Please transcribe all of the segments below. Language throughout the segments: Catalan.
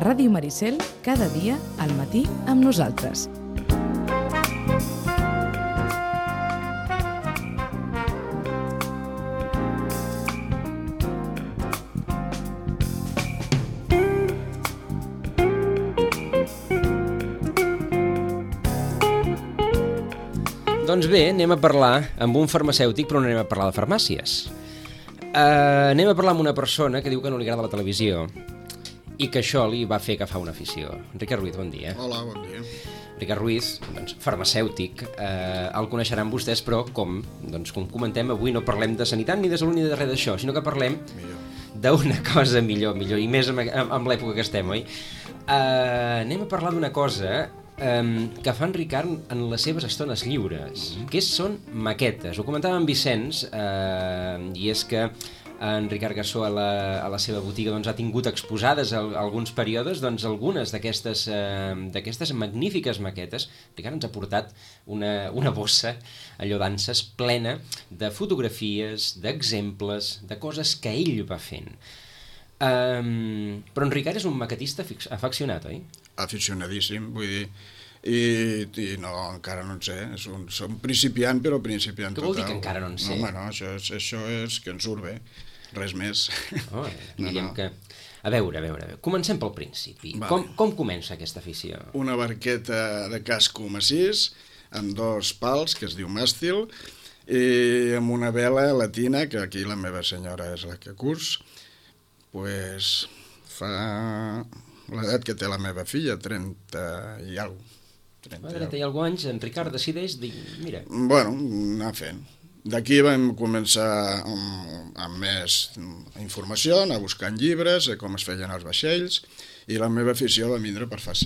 A Ràdio Maricel, cada dia, al matí, amb nosaltres. Doncs bé, anem a parlar amb un farmacèutic, però no anem a parlar de farmàcies. Anem a parlar amb una persona que diu que no li agrada la televisió i que això li va fer agafar una afició. Ricard Ruiz, bon dia. Hola, bon dia. Ricard Ruiz, doncs, farmacèutic, el coneixeran vostès, però com comentem, avui no parlem de sanitat ni de salut ni de res d'això, sinó que parlem d'una cosa millor, i més amb l'època que estem, oi? Anem a parlar d'una cosa que fa en Ricard en les seves estones lliures, que són maquetes. Ho comentava en Vicenç, i és que en Ricard Gassó a la seva botiga ha tingut exposades alguns períodes algunes d'aquestes magnífiques maquetes. Ricard ens ha portat una bossa, allò d'anses, plena de fotografies, d'exemples, de coses que ell va fent. Però en Ricard és un maquetista afeccionat, oi? Aficionadíssim, vull dir, i no, encara no en sé, som principiant, però principiant total. Què vol dir que encara no en sé? No, això és que ens surt bé, res més. Que... A veure, comencem pel principi. Vale. Com comença aquesta afició? Una barqueta de casco massís, amb 2 pals, que es diu màstil, i amb una vela latina, que aquí la meva senyora és la que curs, pues fa l'edat que té la meva filla, 30 i alguna cosa. 30 i alguna anys, en Ricard decideix dir, mira... Bueno, anar fent. D'aquí vam començar amb més informació, anar buscant llibres, com es feien els vaixells, i la meva afició va vindre pels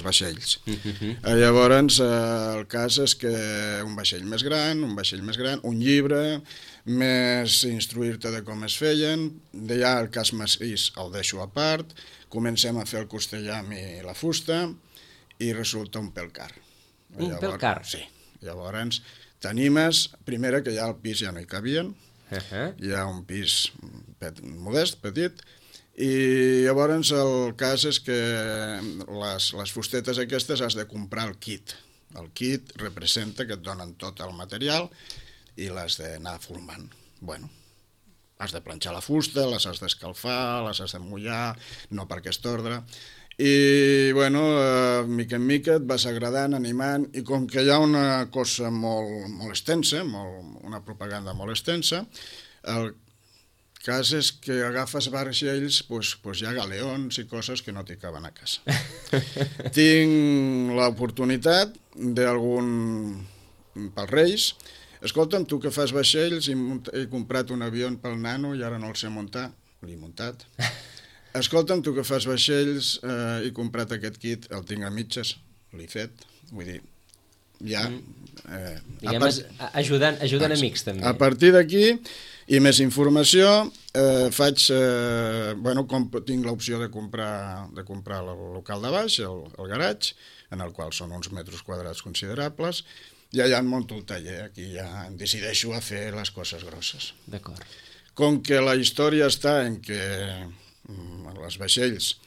vaixells. Llavors, el cas és que un vaixell més gran, un llibre, més instruir-te de com es feien, d'allà el cas massís el deixo a part, comencem a fer el costellam i la fusta, i resulta un pèl car. Un pèl car? Sí. Llavors, t'animes, primera que ja al pis ja no hi cabien, hi ha un pis modest, petit, i llavors el cas és que les fustetes aquestes has de comprar el kit. El kit representa que et donen tot el material i l'has d'anar formant. Bueno, has de planxar la fusta, les has d'escalfar, les has de mullar, no per aquest ordre. I, bueno, mica en mica et vas agradant, animant, i com que hi ha una cosa molt extensa, una propaganda molt extensa, el cas és que agafes vaixells, doncs hi ha galeons i coses que no t'hi caben a casa. Tinc l'oportunitat pels Reis, escolta'm, tu que fas vaixells, he comprat un avió pel nano i ara no el sé muntar, l'he muntat. Escolta'm, tu que fas vaixells, he comprat aquest kit, el tinc a mitges, l'he fet, vull dir, ja... Ajudant amics, també. A partir d'aquí, i més informació, tinc l'opció de comprar el local de baix, el garatge, en el qual són uns metres quadrats considerables, i allà em munto el taller, aquí ja em decideixo a fer les coses grosses. D'acord. Com que la història està en que els vaixells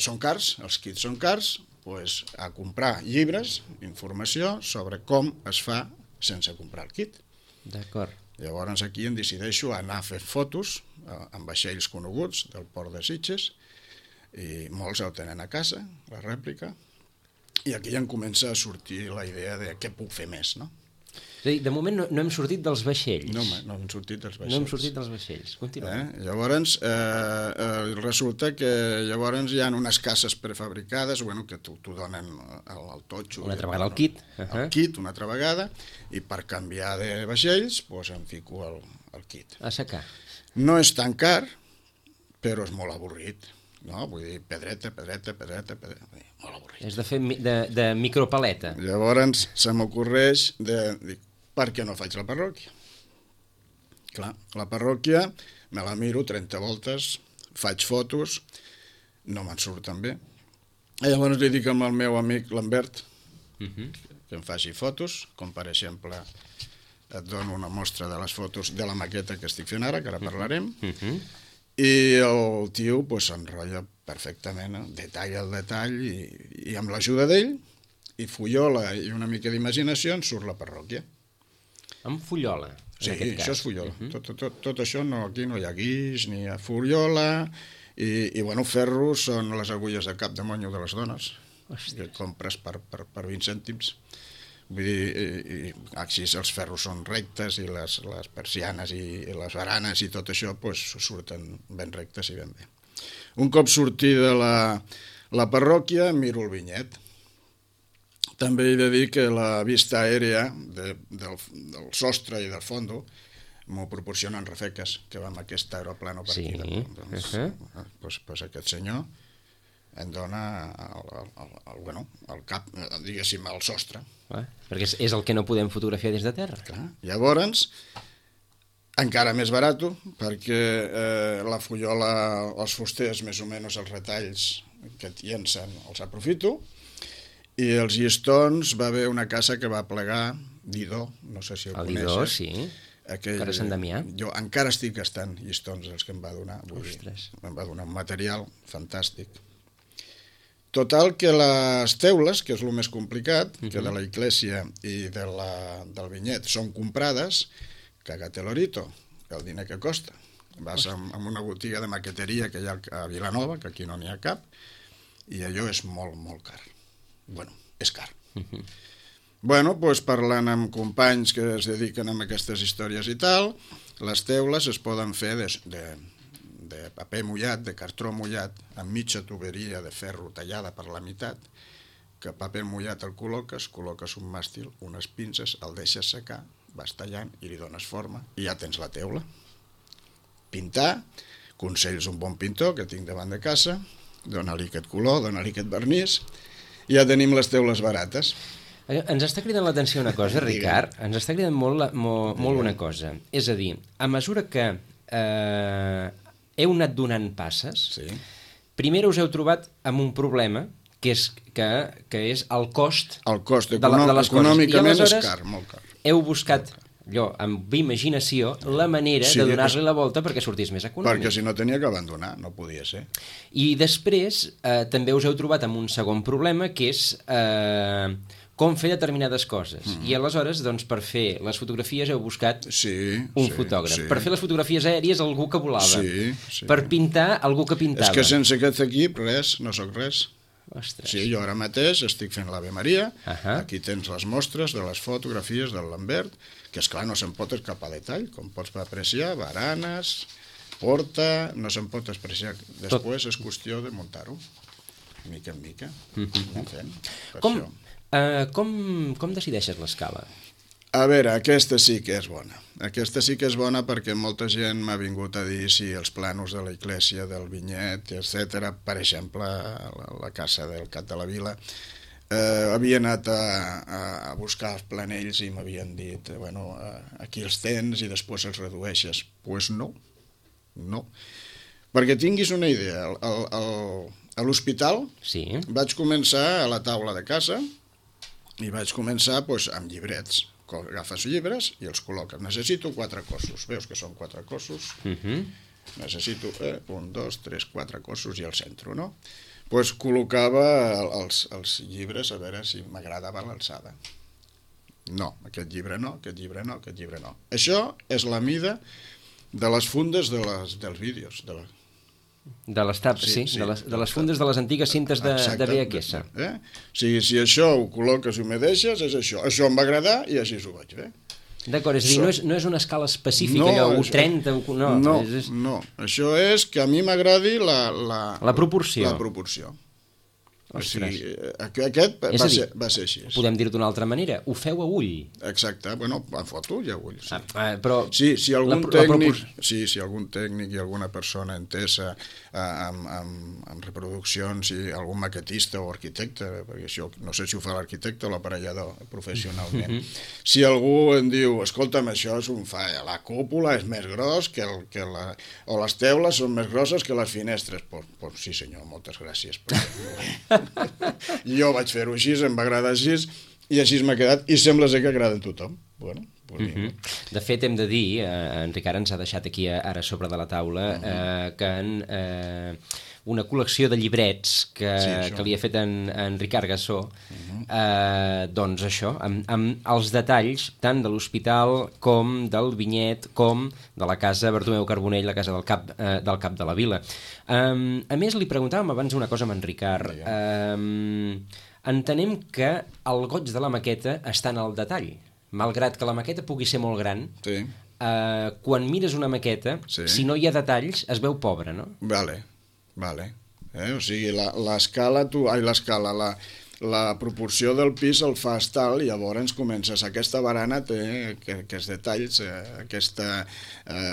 són cars, els kits són cars, doncs a comprar llibres, informació sobre com es fa sense comprar el kit. D'acord. Llavors aquí em decideixo a anar a fer fotos amb vaixells coneguts del port de Sitges, i molts el tenen a casa, la rèplica, i aquí ja em comença a sortir la idea de què puc fer més, no? És a dir, de moment no hem sortit dels vaixells. No hem sortit dels vaixells. No hem sortit dels vaixells. Continuem. Llavors, resulta que llavors hi ha unes cases prefabricades, que t'ho donen al totxo. Una altra vegada el kit. El kit, una altra vegada, i per canviar de vaixells, doncs em fico el kit. A secar. No és tan car, però és molt avorrit. No? Vull dir, pedreta, molt avorrit. És de fer de micropaleta. Llavors se m'ocorreix de per què no faig la parròquia? Clar, la parròquia me la miro 30 voltes, faig fotos, no me'n surten bé. I llavors li dic amb el meu amic Lambert que em faci fotos, com per exemple et dono una mostra de les fotos de la maqueta que estic fent ara, que ara parlarem, I el tio s'enrotlla perfectament, detall al detall, i amb l'ajuda d'ell, i fullola i una mica d'imaginació, en surt la parròquia. Amb fullola, Sí, això és fullola. Tot això, aquí no hi ha guix, ni hi ha fullola, i bueno, ferros són les agulles de cap de monyo de les dones, que compres per 20 cèntims. Vull dir, així els ferros són rectes i les persianes i les baranes i tot això surten ben rectes i ben bé. Un cop sortida la parròquia, miro el vinyet. També he de dir que la vista aèria del sostre i del fondo m'ho proporcionen Rafeques, que va amb aquest aeroplano per aquí. Doncs aquest senyor em dona el cap, diguéssim, el sostre. Perquè és el que no podem fotografiar des de terra. Clar. Llavors, encara més barat, perquè la fullola, els fusters, més o menys els retalls que llencen, els aprofito, i els llistons va haver una casa que va plegar, Didó, no sé si el coneixes. El Didó, sí. Cara Sant Damià. Jo encara estic gastant llistons els que em va donar. Em va donar un material fantàstic. Total, que les teules, que és el més complicat, que de la iglesia i del vinyet són comprades, cagate l'orito, el diner que costa. Vas a una botiga de maqueteria que hi ha a Vilanova, que aquí no n'hi ha cap, i allò és molt, molt car. Bueno, és car. Bueno, doncs parlant amb companys que es dediquen a aquestes històries i tal, les teules es poden fer de paper mullat, de cartró mullat, amb mitja tuberia de ferro tallada per la meitat, que paper mullat el col·loques un màstil, unes pinces, el deixes secar, vas tallant i li dones forma, i ja tens la teula. Pintar, consells un bon pintor que tinc davant de casa, dona-li aquest color, dona-li aquest vernís, i ja tenim les teules barates. Ens està cridant l'atenció una cosa, Ricard, ens està cridant molt una cosa. És a dir, a mesura que heu anat donant passes, primer us heu trobat amb un problema, que és el cost de les coses. Econòmicament és car, molt car. Heu buscat, amb imaginació, la manera de donar-li la volta perquè sortís més econòmic. Perquè si no tenia que abandonar, no podia ser. I després també us heu trobat amb un segon problema, que és com fer determinades coses. I aleshores, doncs, per fer les fotografies heu buscat un fotògraf. Per fer les fotografies aèries, algú que volava. Per pintar, algú que pintava. És que sense aquest equip, res, no sóc res. Ostres. Sí, jo ara mateix estic fent l'Ave Maria, aquí tens les mostres de les fotografies del Lambert, que esclar no se'n pot escapar detall, com pots apreciar, baranes, porta, no se'n pot apreciar. Després és qüestió de muntar-ho, mica en mica, anem fent. Com decideixes l'escala? A veure, aquesta sí que és bona. Aquesta sí que és bona perquè molta gent m'ha vingut a dir si els planos de la iglesia, del vinyet, etc. Per exemple, la casa del Cap de la Vila, havia anat a buscar els planells i m'havien dit, bueno, aquí els tens i després els redueixes. Doncs no. Perquè tinguis una idea, a l'hospital vaig començar a la taula de casa i vaig començar amb llibrets. Agafes llibres i els col·loques. Necessito 4 cossos. Veus que són 4 cossos? Necessito 1, 2, 3, 4 cossos i el centre, no? Doncs col·locava els llibres a veure si m'agradava l'alçada. No, aquest llibre no, aquest llibre no, aquest llibre no. Això és la mida de les fundes dels vídeos, de les taps, de les fundes de les antigues cintes de VHS. Si això ho col·loques i m'ho deixes, és això. Això em va agradar i així ho vaig fer. D'acord, és a dir, no és una escala específica, allò 1:30... No, això és que a mi m'agradi la proporció. O sigui, aquest va ser així. Podem dir-ho d'una altra manera, ho feu a ull. Exacte, bueno, en foto i a ull. Però si algun tècnic i alguna persona entesa amb reproduccions i algun maquetista o arquitecte, perquè això no sé si ho fa l'arquitecte o l'aparellador professionalment, si algú em diu, escolta'm, això és un fall, la cúpula és més gros o les teules són més grosses que les finestres, doncs sí senyor, moltes gràcies. Jo vaig fer-ho així, em va agradar així, i així m'ha quedat, i sembla ser que agrada a tothom. Bueno, De fet, hem de dir, en Ricard ens ha deixat aquí ara sobre de la taula, que una col·lecció de llibrets que li ha fet en Ricard Gassó, doncs això, amb els detalls tant de l'hospital com del vinyet com de la casa Bartomeu Carbonell, la casa del cap de la Vila. A més, li preguntàvem abans una cosa amb en Ricard. Entenem que el goig de la maqueta està en el detall. Malgrat que la maqueta pugui ser molt gran, quan mires una maqueta, si no hi ha detalls, es veu pobre, no? Vale. O sigui, l'escala, la proporció del pis el fas tal i llavors comences. Aquesta barana té aquests detalls, aquest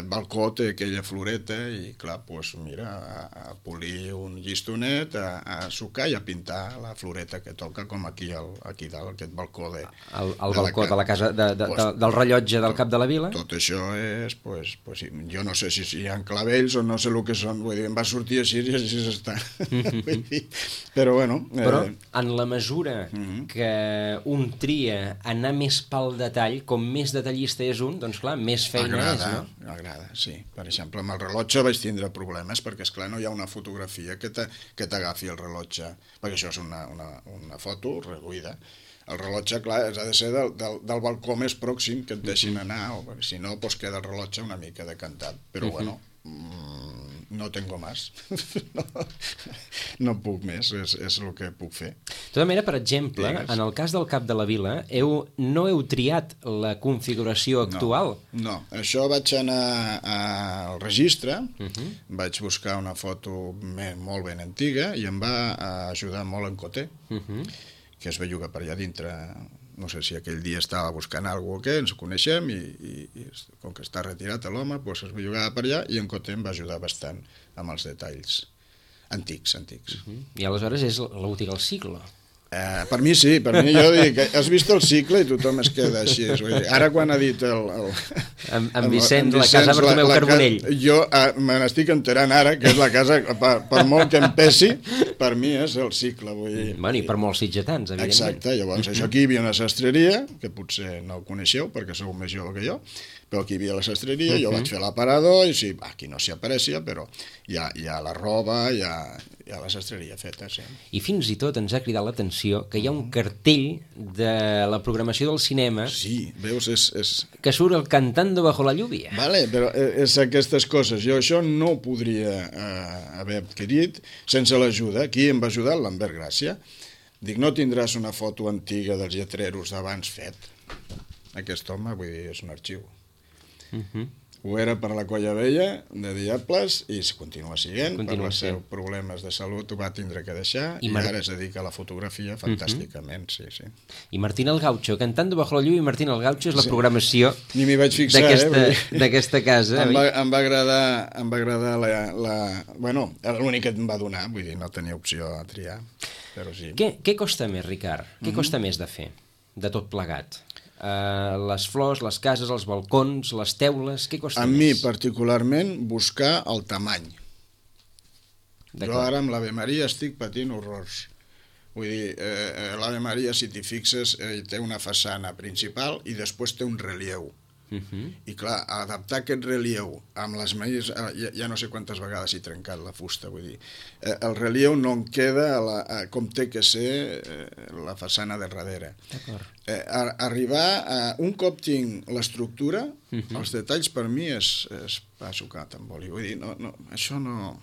balcó té aquella floreta i clar, doncs mira, a polir un llistonet, a sucar i a pintar la floreta que toca com aquí dalt, aquest balcó de... El balcó de la casa, del rellotge del cap de la Vila? Tot això és, jo no sé si hi ha clavells o no sé el que són, vull dir, em va sortir així i així està. Però bueno... Però en la mesura que un tria anar més pel detall, com més detallista és un, doncs clar, més feina és, no? Agrada, sí. Per exemple, amb el rellotge vaig tindre problemes, perquè esclar no hi ha una fotografia que t'agafi el rellotge, perquè això és una foto reduïda. El rellotge, clar, ha de ser del balcó més pròxim que et deixin anar, o si no, doncs queda el rellotge una mica decantat. Però bueno, no tengo más. No puc més, és el que puc fer. De tota manera, per exemple, en el cas del cap de la Vila, no heu triat la configuració actual? No, això vaig anar al registre, vaig buscar una foto molt ben antiga i em va ajudar molt en Coté, que es va jugar per allà dintre. No sé si aquell dia estava buscant alguna cosa o què, ens coneixem i com que està retirat l'home, doncs es va jugar per allà i en Coté em va ajudar bastant amb els detalls antics. I aleshores és la botiga El Siglo. Per mi sí, per mi jo dic, has vist el cicle i tothom es queda així. Ara quan ha dit en Vicenç, la casa Bartomeu Carbonell. Jo me n'estic enterant ara que és la casa, per molt que em pesi, per mi és el cicle. Bueno, i per molts sitgetans, evidentment. Exacte, llavors això aquí hi havia una sastreria, que potser no ho coneixeu perquè sou més jove que jo, però aquí hi havia la sastreria, jo vaig fer l'aparador i sí, aquí no s'hi apareixia, però hi ha la roba, hi ha la sastreria feta, sí. I fins i tot ens ha cridat l'atenció que hi ha un cartell de la programació del cinema. Sí, veus, és... que surt el Cantando bajo la lluvia. Vale, però és aquestes coses. Jo això no ho podria haver adquirit sense l'ajuda. Aquí em va ajudar l'Ambert Gràcia. Dic, no tindràs una foto antiga dels lletreros d'abans fet. Aquest home, vull dir, és un arxiu. Ho era per la Colla Vella de Diables i continua sent, per els seus problemes de salut ho va tindre que deixar i ara es dedica a la fotografia fantàsticament, sí. I Martín el Gaucho, Cantando bajo la lluvia, i Martín el Gaucho és la programació d'aquesta casa. Em va agradar bueno, l'únic que em va donar, vull dir, no tenia opció a triar, però sí. Què costa més, Ricard? Què costa més de fer, de tot plegat? Les flors, les cases, els balcons, les teules, què costa més? A mi, particularment, buscar el tamany. Jo ara amb l'Ave Maria estic patint horrors. Vull dir, l'Ave Maria, si t'hi fixes, té una façana principal i després té un relleu. I clar, adaptar aquest relleu amb les maïs, ja no sé quantes vegades he trencat la fusta, vull dir, el relleu no en queda com té que ser la façana de darrere. Arribar a un cop tinc l'estructura, els detalls per mi és pa sucat amb oli, vull dir, això no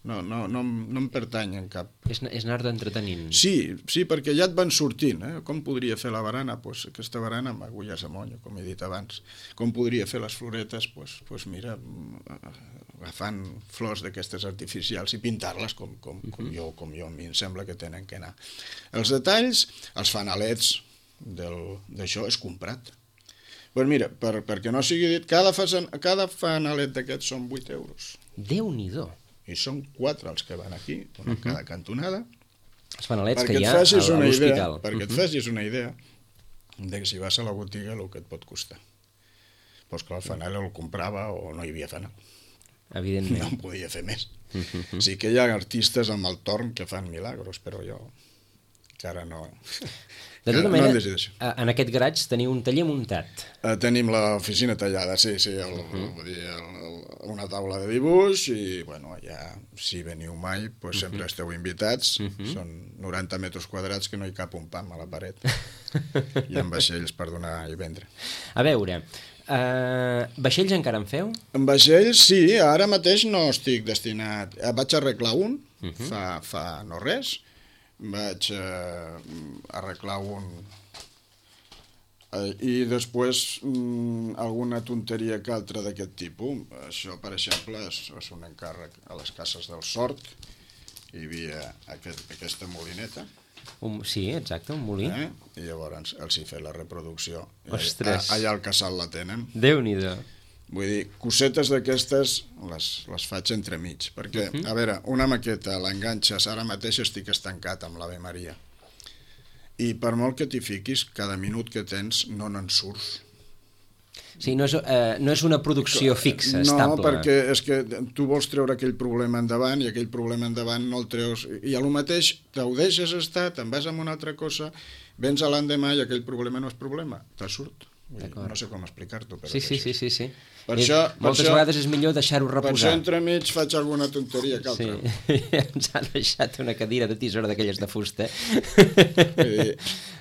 em pertany en cap. És anar-te entretenint. Sí, perquè ja et van sortint. Com podria fer la barana? Doncs aquesta barana amb agulles a monyo, com he dit abans. Com podria fer les floretes? Doncs mira, agafant flors d'aquestes artificials i pintar-les com jo, a mi em sembla que tenen que anar. Els detalls, els fanalets d'això és comprat. Doncs mira, perquè no sigui dit, cada fanalet d'aquests són 8 euros. Déu-n'hi-do. I són 4 els que van aquí, una cada cantonada. Els fanalets que hi ha a l'hospital. Perquè et facis una idea de que si vas a la botiga el que et pot costar. Doncs clar, el fanal el comprava o no hi havia fanal. Evidentment. No en podia fer més. Sí que hi ha artistes amb el torn que fan milagros, però jo encara no... De tota no manera, hem decidit això. en aquest garatge teniu un taller muntat. Tenim l'oficina tallada, sí, vull dir, una taula de dibuix i, bueno, ja, si veniu mai, doncs sempre esteu invitats. Són 90 metres quadrats que no hi cap un pam a la paret. I amb vaixells per donar i vendre. A veure, vaixells encara en feu? En vaixells, sí, ara mateix no estic destinat... Vaig arreglar un, fa no res, vaig arreglar un i després alguna tonteria que altra d'aquest tipus. Això, per exemple, és un encàrrec a les cases del Sort. Hi havia aquesta molineta. Sí, exacte, un molí. I llavors els hi he fet la reproducció. Ostres! Allà al casal la tenen. Déu-n'hi-do. Vull dir, cosetes d'aquestes les faig entremig, perquè, a veure, una maqueta l'enganxes, ara mateix estic estancat amb l'Ave Maria, i per molt que t'hi fiquis, cada minut que tens no n'en surts. Sí, no és una producció fixa, estable. No, perquè és que tu vols treure aquell problema endavant i aquell problema endavant no el treus, i a lo mateix t'ho deixes estar, te'n vas amb una altra cosa, vens a l'endemà i aquell problema no és problema, te surt. No sé com explicar-t'ho, però... Sí. Moltes vegades és millor deixar-ho reposar. Per això entremig faig alguna tonteria que altra. Sí, ens ha deixat una cadira de tisora d'aquelles de fusta.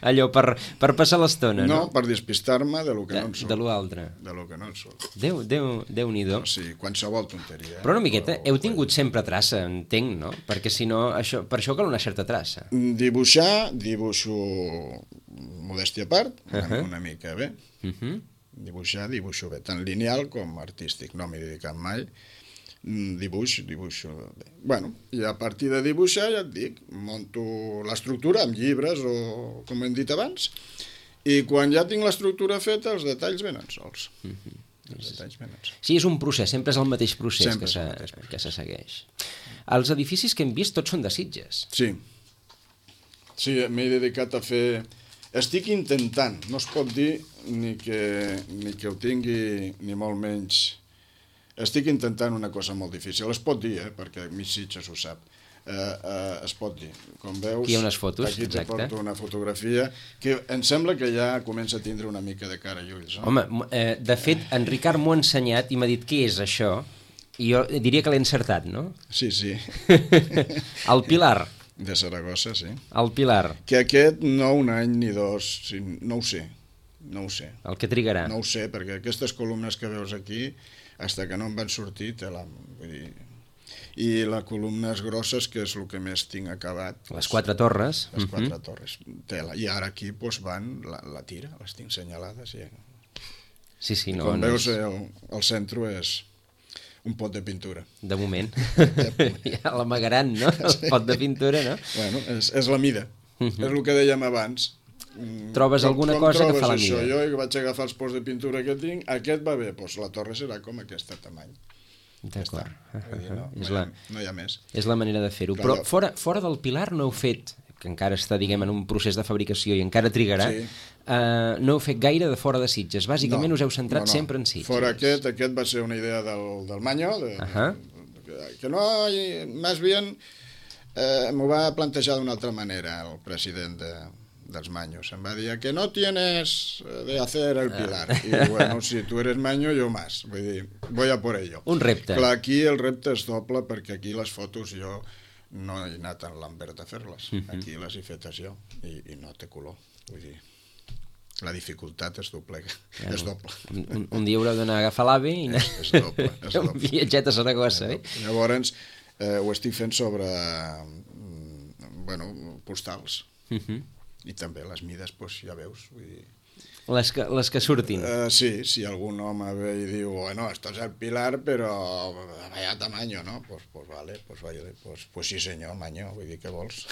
Allò per passar l'estona, no? No, per despistar-me de lo que no en surt. De lo altre. De lo que no en surt. Déu-n'hi-do. Sí, qualsevol tonteria. Però una miqueta, heu tingut sempre traça, entenc, no? Perquè si no, per això cal una certa traça. Dibuixo modèstia a part, una mica bé. Dibuixo bé, tant lineal com artístic, no m'he dedicat mai. Dibuixo bé. Bueno, i a partir de dibuixar, ja et dic, monto l'estructura amb llibres o com hem dit abans, i quan ja tinc l'estructura feta, els detalls venen sols. Sí, és un procés, sempre és el mateix procés que se segueix. Els edificis que hem vist tots són de Sitges. Sí, m'he dedicat a fer... Estic intentant, no es pot dir ni que ho tingui ni molt menys. Estic intentant una cosa molt difícil. Es pot dir, perquè mi Sitges ho sap. Es pot dir. Com veus, aquí hi ha unes fotos, aquí te porto una fotografia que em sembla que ja comença a tindre una mica de cara i ulls. No? Home, de fet, en Ricard m'ho ha ensenyat i m'ha dit què és això, i jo diria que l'he encertat, no? Sí. El Pilar. De Saragossa, sí. El Pilar. Que aquest no un any ni dos, no ho sé. El que trigarà. No ho sé, perquè aquestes columnes que veus aquí, fins que no em van sortir, vull dir... I les columnes grosses, que és el que més tinc acabat. Les 4 torres. Les 4 torres, tela. I ara aquí van la tira, les tinc senyalades. Sí, no. Com veus, el centre és... un pot de pintura. De moment. Ja l'amagaran, no? El pot de pintura, no? Bueno, és la mida. És el que dèiem abans. Trobes alguna cosa que fa la mida. Jo vaig agafar els pots de pintura que tinc, aquest va bé, doncs la torre serà com aquesta tamany. D'acord. No hi ha més. És la manera de fer-ho. Però fora del Pilar no heu fet, que encara està, diguem, en un procés de fabricació i encara trigarà, no heu fet gaire de fora de Sitges. Bàsicament us heu centrat sempre en Sitges. Fora aquest va ser una idea del Manyo, que no, més bien m'ho va plantejar d'una altra manera el president dels Manyos. Em va dir que no tienes de hacer el Pilar. I bueno, si tu eres Manyo, jo más. Vull dir, voy a por ello. Un repte. Clar, aquí el repte és doble, perquè aquí les fotos jo no he anat a Lambert a fer-les. Aquí les he fetes jo i no té color. Vull dir, la dificultat és doble. És doble. Un dia haureu d'anar a agafar l'AVE i anar un viatget a Saragossa. Llavors, ho estic fent sobre postals. I també les mides, ja veus. Vull dir... Les que surtin. Sí, si algun home ve i diu, bueno, esto es el Pilar, però vaya tamaño, ¿no? Pues vale, pues sí senyor, Manyo, vull dir, què vols?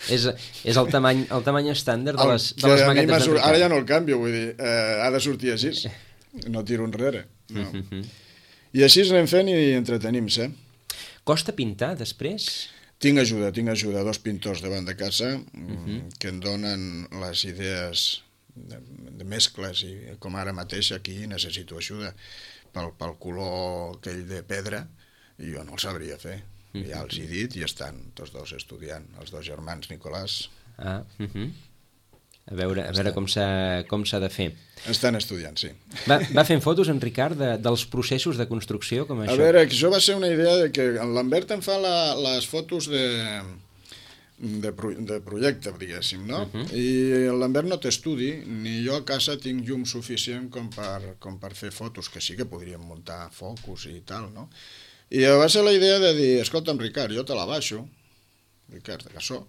És el tamany estàndard de les maquetes de Ara ja no el canvio, vull dir, ha de sortir així, no tiro enrere. I així anem fent i entretenim-se. Costa pintar després? Tinc ajuda, 2 pintors davant de casa que em donen les idees de mescles, i com ara mateix aquí necessito ajuda pel color aquell de pedra, i jo no el sabria fer. Ja els he dit i estan tots dos estudiant, els 2 germans Nicolàs A veure com s'ha de fer. Estan estudiant, sí. Va fent fotos, en Ricard, dels processos de construcció, com això? A veure, això va ser una idea de que en Lambert em fa les fotos de projecte, diguéssim, no? I el Lambert no té estudi, ni jo a casa tinc llum suficient com per fer fotos, que sí que podríem muntar focus i tal, no? I va ser la idea de dir, escolta'm, Ricard, jo te la baixo, Ricard de Cassó,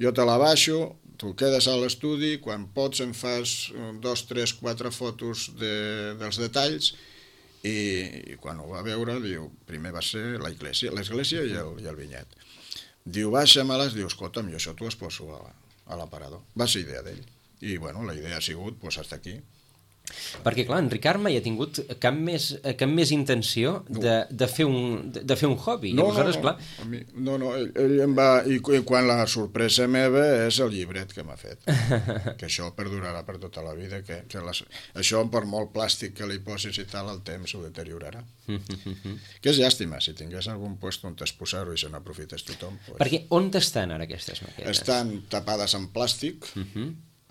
jo te la baixo, tu quedes a l'estudi, quan pots em fas 2, 3, 4 fotos dels detalls i quan ho va veure, diu, primer va ser l'església i el vinyet. Diu, baixa-me-les, diu, escolta'm, jo això t'ho es poso a l'aparador. Va ser idea d'ell. I, bueno, la idea ha sigut, doncs, hasta aquí. Perquè, clar, en Ricard mai ha tingut cap més intenció de fer un hobby. No, aleshores, clar... ell em va... I quan la sorpresa meva és el llibret que m'ha fet. Que això perdurarà per tota la vida. Això, per molt plàstic que li posis i tal, el temps ho deteriorarà. Que és llàstima, si tingués algun lloc on exposar-ho i se n'aprofités tothom. Perquè on estan ara aquestes maquetes? Estan tapades en plàstic,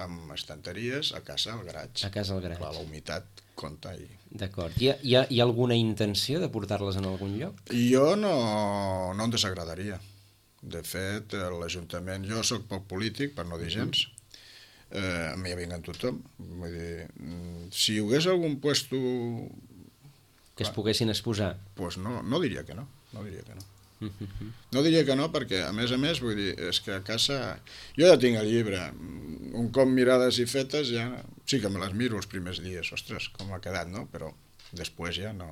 amb estanteries, a casa, al garatge. A casa, al garatge. Clar, la humitat compta. D'acord. Hi ha alguna intenció de portar-les en algun lloc? Jo no em desagradaria. De fet, l'Ajuntament... Jo sóc poc polític, per no dir gens. A mi ja vinguen tothom. Vull dir, si hi hagués algun puesto... Que es poguessin exposar? Doncs no diria que no. No diria que no. No diria que no, perquè, a més, vull dir, és que a casa... Jo ja tinc el llibre, un cop mirades i fetes, ja... Sí que me les miro els primers dies, ostres, com ha quedat, no? Però després ja no...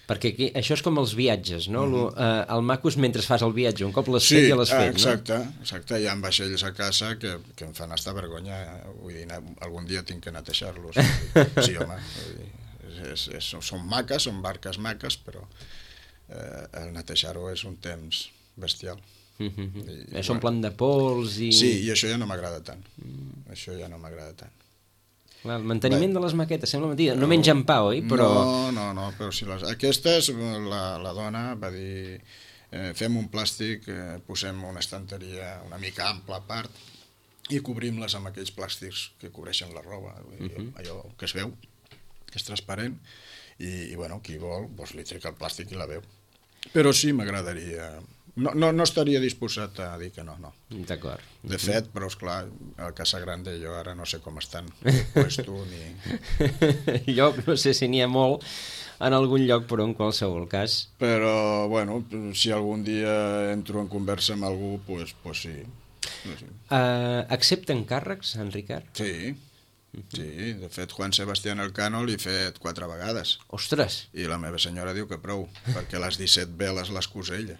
Perquè aquí, això és com els viatges, no? El maco és mentre fas el viatge, un cop l'has fet ja l'has fet, exacte, no? Exacte, hi ha vaixells a casa que em fan estar vergonya, vull dir, algun dia tinc que netejar-los. Sí, home, són maques, són barques maques, però... el netejar-ho és un temps bestial. Són plan de pols i... Sí, i això ja no m'agrada tant. Això ja no m'agrada tant. Clar, el manteniment de les maquetes, sembla mentida. No mengen pa, oi? Però... No, però si aquestes, la dona va dir, fem un plàstic, posem una estanteria una mica ampla a part i cobrim-les amb aquells plàstics que cobreixen la roba, allò que es veu, que és transparent, i bueno, qui vol, doncs li trec el plàstic i la veu. Però sí, m'agradaria... No estaria disposat a dir que no. D'acord. De fet, però esclar, a Casa Grande jo ara no sé com estan. Puesto ni... Lloc, no sé si n'hi ha molt en algun lloc, però en qualsevol cas. Però, bueno, si algun dia entro en conversa amb algú, doncs sí. Accepten càrrecs, en Ricard? Sí. Sí, de fet, Juan Sebastián Elcano l'he fet 4 vegades. Ostres! I la meva senyora diu que prou, perquè les 17 veles les cus ella.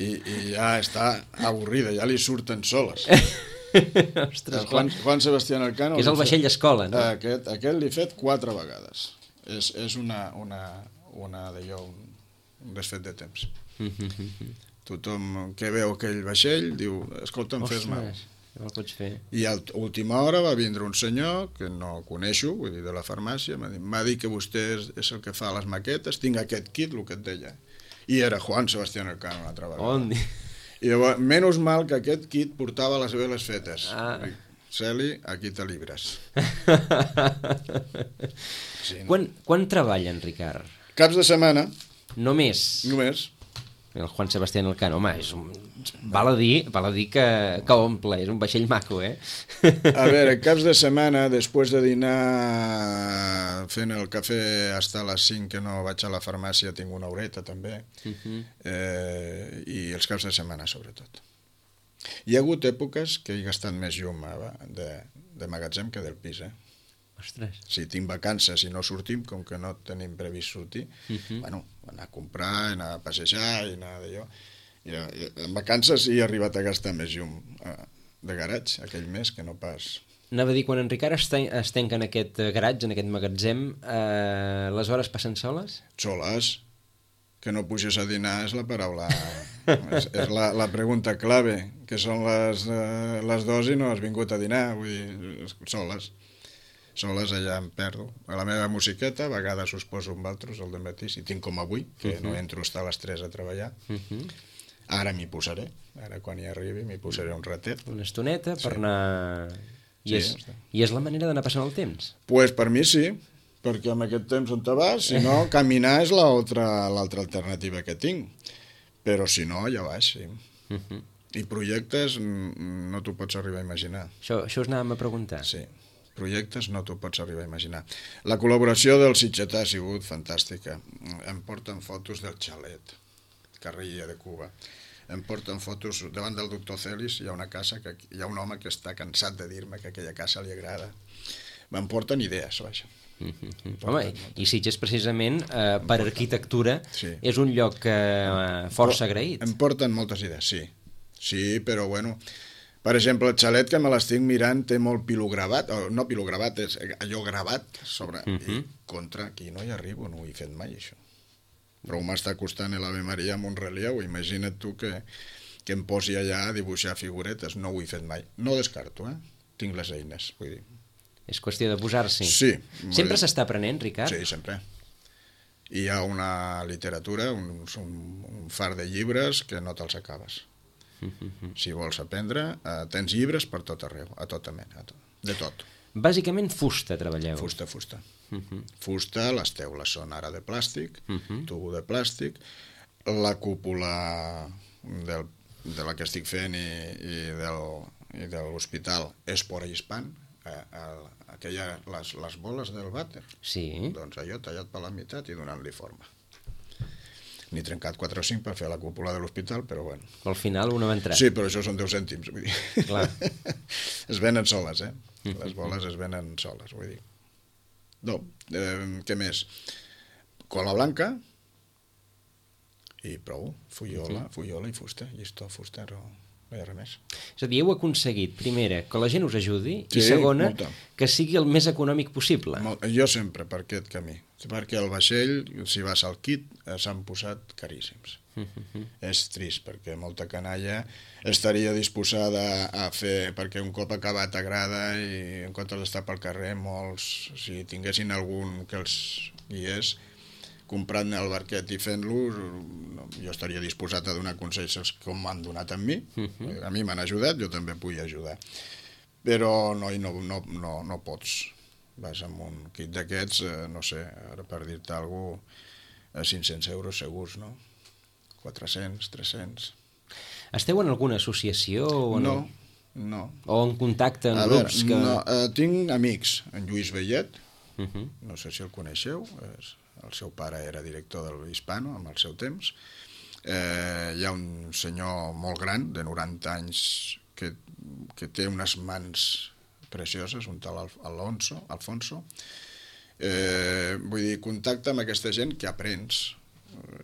I ja està avorrida, ja li surten soles. Ostres, Juan Sebastián Elcano... Que és el vaixell d'escola, no? Aquest l'he fet 4 vegades. És una d'allò, un desfet de temps. Tothom que veu aquell vaixell diu, escolta'm, fes-me... No el pots fer. I a última hora va vindre un senyor que no coneixo, vull dir, de la farmàcia, m'ha dit que vostè és el que fa les maquetes, tinc aquest kit, el que et deia. I era Juan Sebastián Elcano una altra vegada. I llavors, menys mal que aquest kit portava les veles fetes. Celi, aquí te libres. Sí, no? Quan treballa en Ricard? Caps de setmana. Només? Només. El Juan Sebastián Elcano, home, val a dir que omple, és un vaixell maco, eh? A veure, caps de setmana, després de dinar fent el cafè fins a les 5, que no vaig a la farmàcia, tinc una horeta també, i els caps de setmana sobretot. Hi ha hagut èpoques que he gastat més llum de magatzem que del pis, Ostres. Si tinc vacances i no sortim, com que no tenim previst sortir, bueno, anar a comprar, anar a passejar i anar d'allò. En vacances he arribat a gastar més llum de garatge aquell mes que no pas... Anava a dir, quan en Ricard es tanca en aquest garatge, en aquest magatzem, les hores passen soles? Soles. Que no puges a dinar és la paraula... és la pregunta clave, que són les 2 i no has vingut a dinar, vull dir, soles. Soles allà em perdo. A la meva musiqueta, a vegades us poso amb altres al dematí, si tinc com avui, que no entro a les 3 a treballar. Ara m'hi posaré, ara quan hi arribi m'hi posaré un ratet. Una estoneta per anar... I és la manera d'anar passant el temps? Pues per mi sí, perquè amb aquest temps on te vas, si no, caminar és l'altra alternativa que tinc. Però si no, ja vaig, sí. I projectes no t'ho pots arribar a imaginar. Això us anàvem a preguntar. Sí, projectes no t'ho pots arribar a imaginar. La col·laboració del Sitgetà ha sigut fantàstica. Em porten fotos del xalet, carrer Illa de Cuba. Em porten fotos, davant del doctor Celis hi ha una casa, que hi ha un home que està cansat de dir-me que aquella casa li agrada. Me'n porten idees, vaja. Home, i Sitges precisament per arquitectura és un lloc força agraït. Em porten moltes idees, sí. Sí, però bueno, per exemple, el xalet que me l'estic mirant té molt pilogravat, no pilogravat, és allò gravat sobre, i contra aquí no hi arribo, no ho he fet mai això. Però m'està costant l'Ave Maria amb un relleu, imagina't tu que em posi allà a dibuixar figuretes, no ho he fet mai. No descarto, tinc les eines, vull dir. És qüestió de posar-s'hi. Sí. Sempre s'està aprenent, Ricard? Sí, sempre. Hi ha una literatura, un far de llibres que no te'ls acabes. Si vols aprendre, tens llibres per tot arreu, a tota mena, de tot. Bàsicament fusta treballeu. Fusta. Fusta, les teules són ara de plàstic, tubo de plàstic, la cúpula de la que estic fent i de l'hospital és por hispán, les boles del vàter. Sí. Doncs allò tallat per la meitat i donant-li forma. N'he trencat 4 o 5 per fer la cúpula de l'hospital, però bueno. Al final una va entrar. Sí, però això són 10 cèntims, vull dir. Clar. Es venen soles, Les boles es venen soles, vull dir. No, què més? Cola blanca i prou, fullola i fusta, llistó, fusta, no hi ha res més. És a dir, heu aconseguit, primera, que la gent us ajudi, i segona, que sigui el més econòmic possible. Jo sempre per aquest camí, perquè el vaixell, si vas al kit, s'han posat caríssims. És trist, perquè molta canalla estaria disposada a fer, perquè un cop acabat agrada i en comptes d'estar pel carrer, molts, si tinguessin algun que els guiés, comprant el barquet i fent-lo, jo estaria disposat a donar consells com m'han donat a mi. A mi m'han ajudat, jo també vull ajudar. Però no pots. Vas amb un kit d'aquests, no sé, ara per dir-te alguna cosa, 500 euros segurs, no? 400, 300... Esteu en alguna associació o no? No. O en contacte en grups? Tinc amics, en Lluís Vellet, no sé si el coneixeu, el seu pare era director del Hispano amb el seu temps. Hi ha un senyor molt gran, de 90 anys, que té unes mans precioses, un tal Alfonso. Vull dir, contacte amb aquesta gent que aprens.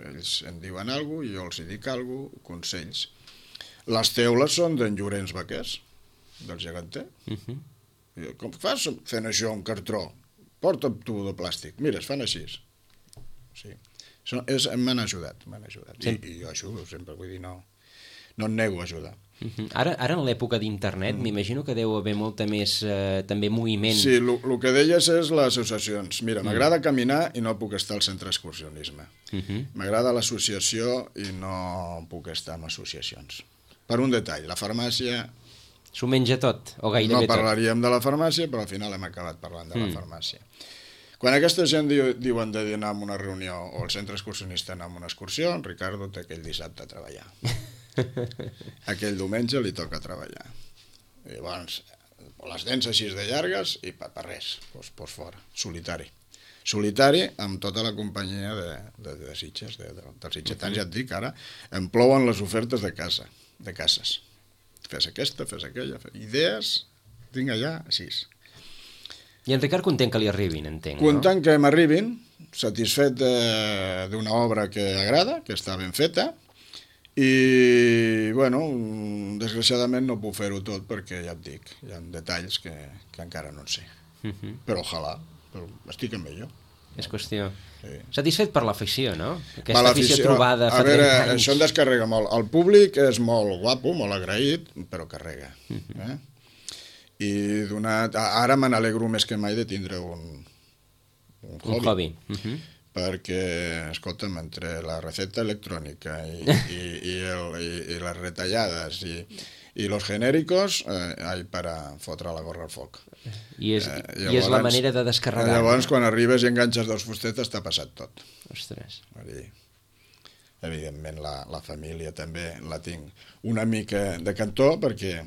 Ells em diuen alguna cosa, jo els dic alguna cosa, consells. Les teules són d'en Llorenç Baquers, del Geganter. Com fas fent això, un cartró? Porta un tubo de plàstic. Mira, es fan així. Sí. M'han ajudat. I jo ajudo sempre, vull dir, no em nego a ajudar. Ara en l'època d'internet m'imagino que deu haver molta més també moviment. Sí, el que deies és les associacions. Mira, m'agrada caminar i no puc estar al centre d'excursionisme. M'agrada l'associació i no puc estar en associacions. Per un detall, la farmàcia... S'ho menja tot, o gairebé tot. No parlaríem de la farmàcia, però al final hem acabat parlant de la farmàcia. Quan aquesta gent diuen d'anar a una reunió o el centre excursionista anar a una excursió, en Ricardo té aquell dissabte a treballar. Aquell diumenge li toca treballar. I llavors, les dents així de llargues i per res, doncs fora, solitari. Solitari amb tota la companyia de Sitges, dels sitgetans, ja et dic, ara em plouen les ofertes de cases. Fes aquesta, fes aquella, idees, tinc allà, així. I en Ricard content que li arribin, entenc, no? Content que m'arribin, satisfet d'una obra que agrada, que està ben feta, i, bueno, desgraciadament no puc fer-ho tot perquè, ja et dic, hi ha detalls que encara no en sé. Però ojalà, estic amb ell, jo. És qüestió. Sí. Satisfet per l'afició, no? Aquesta afició trobada fa 30 anys. Això en descarrega molt. El públic és molt guapo, molt agraït, però carrega. I ara me n'alegro més que mai de tindre un hobby. perquè, escolta'm, entre la recepta electrònica i les retallades i los genèricos, hay para fotre la gorra al foc. I és la manera de descarregar. Llavors, quan arribes i enganxes 2 fustetes, t'ha passat tot. Ostres. Evidentment, la família també la tinc una mica de cantó, perquè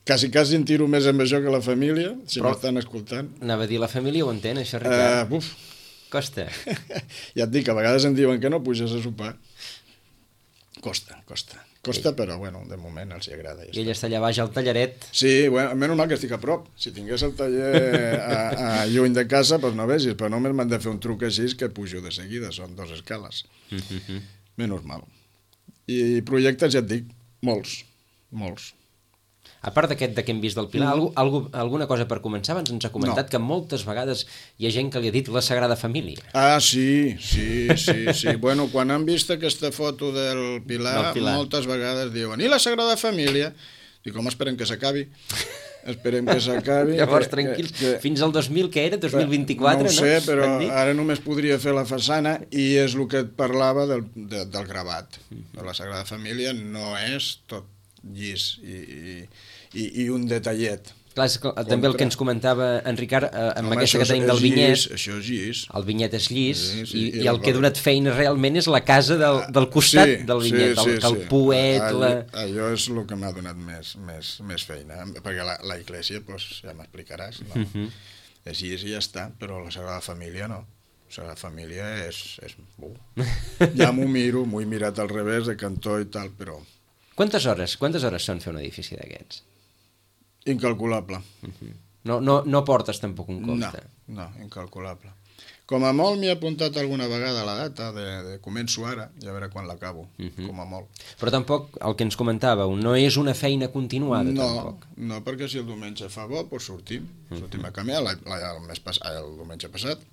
quasi em tiro més amb això que la família, si m'estan escoltant. Anava a dir, la família ho entén, això, Ricard? Costa. Ja et dic, a vegades em diuen que no puges a sopar. Costa, però bueno, de moment els hi agrada. I ell està allà baix al tallaret. Sí, bueno, menys mal que estic a prop. Si tingués el taller a lluny de casa, doncs no vegis, però només m'han de fer un truc així que pujo de seguida, són 2 escales. Menys mal. I projectes, ja et dic, molts. A part d'aquest que hem vist del Pilar, alguna cosa per començar? Abans ens ha comentat que moltes vegades hi ha gent que li ha dit la Sagrada Família. Ah, sí. Bueno, quan han vist aquesta foto del Pilar, moltes vegades diuen, i la Sagrada Família? Dic, com esperem que s'acabi? Esperem que s'acabi. Llavors, tranquils, fins al 2000, què era? 2024, no? No ho sé, però ara només podria fer la façana i és el que et parlava del gravat. De la Sagrada Família no és tot llis i un detallet. Clar, també el que ens comentava en Ricard, amb aquesta que tenim del vinyet. Això és llis. El vinyet és llis, i el que ha donat feina realment és la casa del costat del vinyet, el poet... Allò és el que m'ha donat més feina, perquè la Iglesia, ja m'explicaràs, és llis i ja està, però la Sagrada Família no. La Sagrada Família és... Ja m'ho miro, m'ho he mirat al revés, de cantó i tal, però... Quantes hores són fer un edifici d'aquests? Incalculable. No portes tampoc un compte? No, incalculable. Com a molt m'he apuntat alguna vegada la data de començo ara, i a veure quan l'acabo, com a molt. Però tampoc, el que ens comentàveu, no és una feina continuada, tampoc? No, perquè si el diumenge fa bo, doncs sortim a caminar. El diumenge passat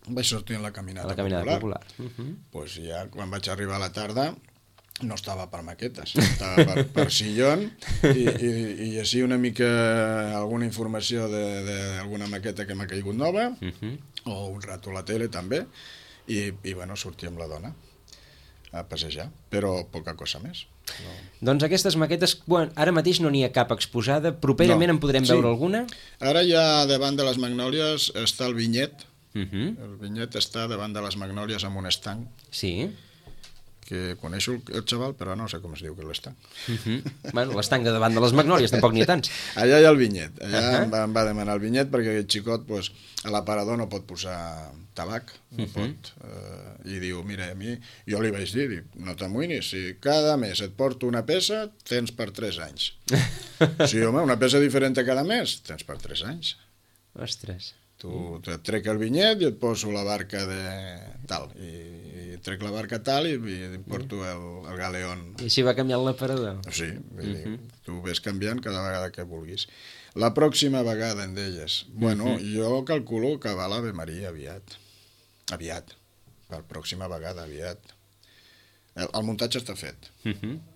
vaig sortir en la caminada popular. Doncs ja, quan vaig arribar a la tarda, no estava per maquetes, estava per sillón i així una mica alguna informació d'alguna maqueta que m'ha caigut nova, o un rato a la tele també, i bueno, sortir amb la dona a passejar, però poca cosa més. Doncs aquestes maquetes, ara mateix no n'hi ha cap exposada, properament en podrem veure alguna? Ara ja davant de les Magnòlies està el vinyet, el vinyet està davant de les Magnòlies amb un estanc. Sí. Que coneixo el xaval, però no sé com es diu que l'estanc. Bueno, l'estanc de davant de les Magnòlies, tampoc n'hi ha tants. Allà hi ha el vinyet, allà em va demanar el vinyet perquè aquest xicot a l'aparador no pot posar tabac, no pot, i diu, mira, a mi, jo li vaig dir, no t'amoïnis, si cada mes et porto una peça, tens per 3 anys. Sí, home, una peça diferent cada mes, tens per 3 anys. Ostres. Tu trec el vinyet i et poso la barca de tal, i trec la barca tal i em porto el galeón. I així va canviant l'aparador? Sí, tu ves canviant cada vegada que vulguis. La pròxima vegada, en deies, bueno, jo calculo que va l'Ave Maria aviat. Per pròxima vegada, aviat. El muntatge està fet.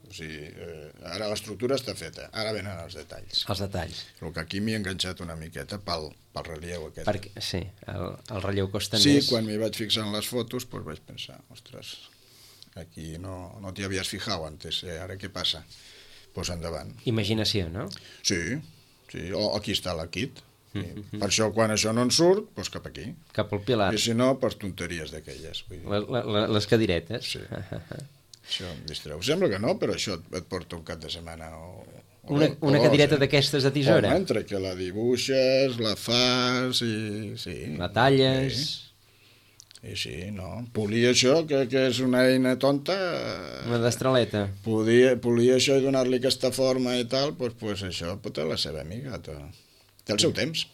O sigui, ara l'estructura està feta, ara venen els detalls. Els detalls. El que aquí m'hi he enganxat una miqueta pel relleu aquest. Sí, el relleu costa més. Sí, quan m'hi vaig fixar en les fotos, doncs vaig pensar, ostres, aquí no t'hi havies fijat antes, ara què passa? Doncs endavant. Imaginació, no? Sí, aquí està la kit. Per això, quan això no en surt, doncs cap aquí. Cap al Pilar. I si no, per tonteries d'aquelles. Les cadiretes. Sí. Això em distreu. Sembla que no, però això et porta un cap de setmana una cadireta d'aquestes de tisora? Home, entre que la dibuixes, la fas i... sí. La talles... Sí, no. Polir això, que és una eina tonta... Una destraleta. Polir això i donar-li aquesta forma i tal, doncs això pot ser la seva amiga. Té el seu temps.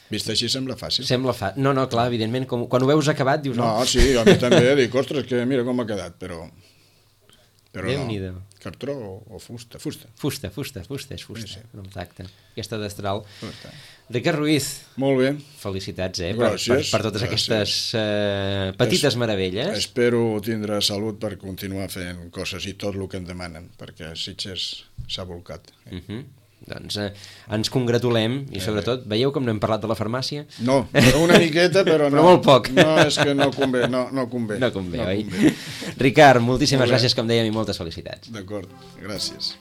Vist així sembla fàcil. No, clar, evidentment, quan ho veus acabat dius... No, sí, a mi també dic, ostres, que mira com ha quedat, però Déu-n'hi-do. Cartró o fusta? Fusta, és fusta. Sí. Exacte. Aquesta destral. Ricard Ruiz. Molt bé. Felicitats, Gràcies. per totes aquestes petites meravelles. Espero tindre salut per continuar fent coses i tot el que em demanen, perquè Sitges s'ha volcat. Doncs ens congratulem i sobretot, veieu com no hem parlat de la farmàcia? No, una miqueta, però no. Però molt poc. No, és que no convé, no convé. No convé, oi? Ricard, moltíssimes gràcies, com dèiem, i moltes felicitats. D'acord, gràcies.